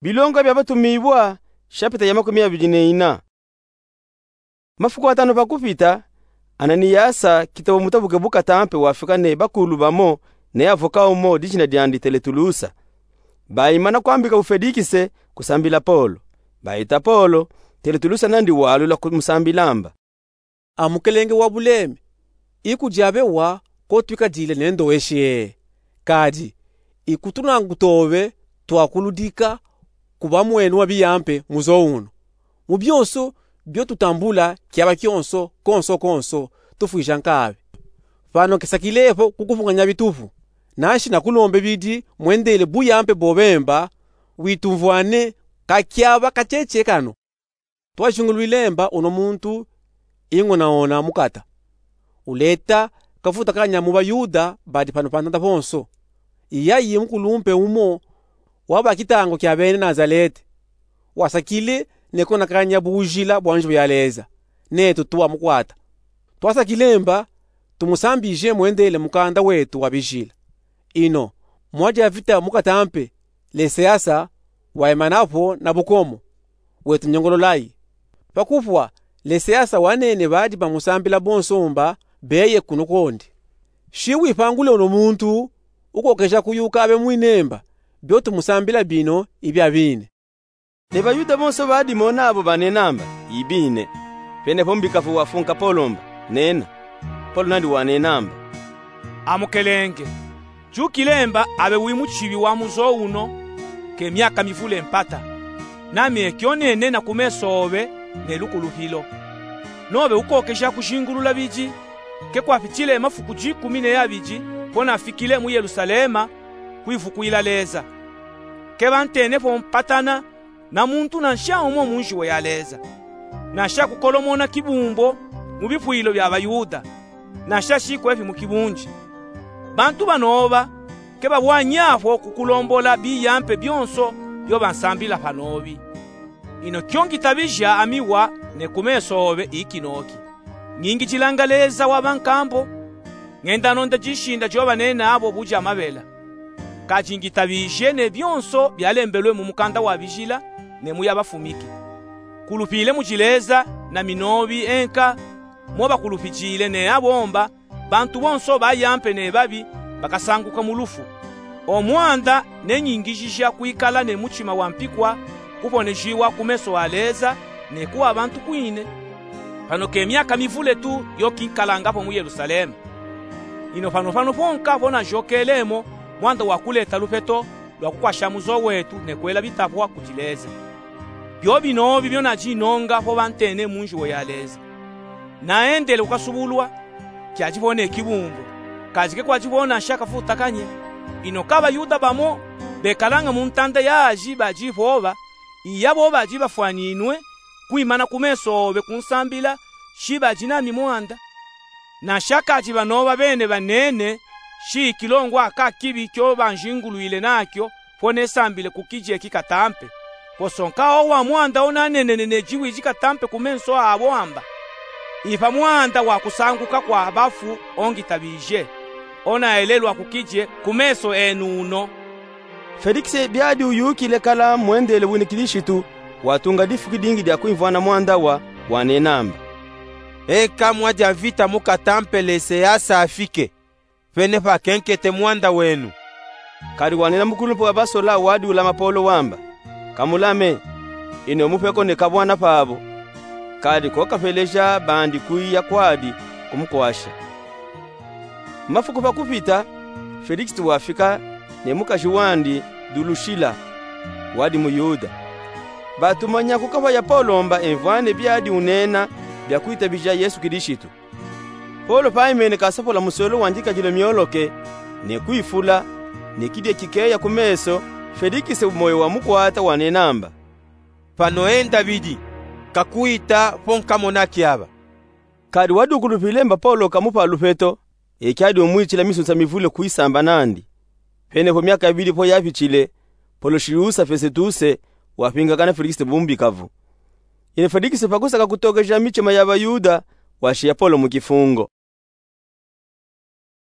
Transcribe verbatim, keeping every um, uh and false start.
Bilonga bia Batumibua, shapita ya makumi abidi na ina. Mafuku atanu pa kupita, Ananiyasa, kitobo mutabuke bukatampe, wafika ne bakulu bamo ne avoka umo dijina diandi Teletulusa. Baimana kwambika bu Felikise kusambila Polo. Baita Polo, Teletulusa nandi walula kumusambilamba: Amukelenge wa buleme, ikudi abewa ko twikadile ne ndowe shie. Kadi ikutunangu tobe twakuludika ku bamwenu wa biyampe muzo unu. Mu bionso bio tutambula kiaba kionso, konso konso, tufwija nkabe. Pano kisakilepo kukuvunganya bitupu. Nanshi nakulombe bidi mwendele buyampe bobemba, witumvwane ka kiaba katietie kano. Twazingulwile mba uno muntu ingonaona mukata. Uleta kafutakanya mu Bayuda badi pano pa ntanda ponso. Iyayi mukulumpe umo wa ba kitangu kia bene Nazalete, wasakile ne konakanya bujila bwa nzimbu ya Leza, netu twamukwata. Twasakile mba tumusambije mwendele mukanda wetu wa bijila. Ino mwa diavita mukatampe, Lisiasa waimanapo na bukomo, wetu nyongololayi. Pa kupwa, Lisiasa wanene badi bamusambila bonso mba beye kuno kondi. Shi wipangule uno muntu ukokeja kuyuka abe mwine mba bio tumusambila bino ibia bine. Ne Bayuda bonso badimo nabo banenamba: Ibine. Pene po mbikafu wafunka Polo mba, nena. Polo nandi wanenamba: Amukelenge, jukile mba abe wimucibi wa muzo uno ke miaka mivule mpata, nami eki onene na kumeso obe ne lukulupilo. Nobe ukokeja kujingulula bidi, ke kwapitile mafuku dikumi ne abidi po nafikile mu Yelusalema kwivukwila Leza. Ke bantene po mpatana na muntu nansha umo mu nzimbu ya Leza, nansha kukolomona kibumbo mu bipwilo bia Bayuda, nansha shikwepi mu kibunji. Bantu banoba ke babwanyapo kukulombola biyampe bionso bio bansambila panobi. Ino kio ngitabija ami wa ne kumeso obe iki noki. Ngingijilanga Leza wa bankambo, ngenda nonda dishinda diobanena abo buja mabela. Kadi ngitabije ne bionso bialembelwe mu mukanda wa bijila ne mu ya bafumike. Kulupile mudi Leza na minobi enka mo bakulupidile ne abo mba bantu bonso bayampe ne babi bakasanguka mu lufu. O mwanda nengingijija kwikala ne mutima wa mpikwa kuponejiwa kumeso a Leza ne kuwa bantu kwine. Pano ke miaka mivule tu yo kinkalangapo mu Yelusalema. Ino pano pano ponka po najokele mo mwanda wa kuleta lupeto lwa kukwasha muzo wetu ne kwela bitapwa kudi Leza. Bio binobi bio nadinonga po bantene mu nzimbu ya Leza. Naendele kukasubulwa, kiadipo ne kibumbo, kadi ke kwadipo nansha kafutakanya. Ino ka Bayuda bamo bekalanga mu ntanda yaadi badi poba, iyabo badi bafwaninwe kwimana kumeso obe kunsambila, shi badi nami mwanda. Nansha kadi banoba bene banene, shi kilongo aka kibi kio banzingulwile nakio po nesambile ku kidie kikatampe. Posonka o wa mwanda o nanenene ne diwi dikatampe kumeso abo amba: Ipa mwanda wa kusanguka kwa bafu o ngitabije, o naelelwa ku kidie kumeso enu uno. Felikise biadi uyukile kala mwendele wine Kilisitu, watunga difuki dingi dia kwimvwana mwanda wa, wanenamba: Eka mwa diavita mukatampe Lisiasa afike, pene pakenkete mwanda wenu. Kadi wanena mukulumpe wa basola wadi ulama Polo wamba: Kamulame, ino mupe ko ne kabwana pabo, kadi ko kapeleja bandi kwiya kwadi kumukwasha. Mafuku pa kupita, Felikisi wafika ne mukaji wandi Dulushila, wadi Muyuda. Batumanya kukapaya Polo mba emvwane biadi unena bia kwitabija Yesu Kilisitu. Polo paimene kasopola musolo wa ndikajilo mioloke, ne kwifula, ne kidie kikeya kumeso, Felikisi moyo wamukwata wanenamba: Pano enda bidi, kakwita po nkamona kiaba. Kadi wadi ukulupile mba Polo kamupa lupeto, e kiadi umwitila misunsa mivule kwisamba nandi. Pene po miaka ibidi po yapitile, Polushiyusa Fesetuse wapingakana Felikisi bu mbikavu. Ino Felikisi pa kusaka kutokeja mitima ya Bayuda, washiya Polo mu kifungo.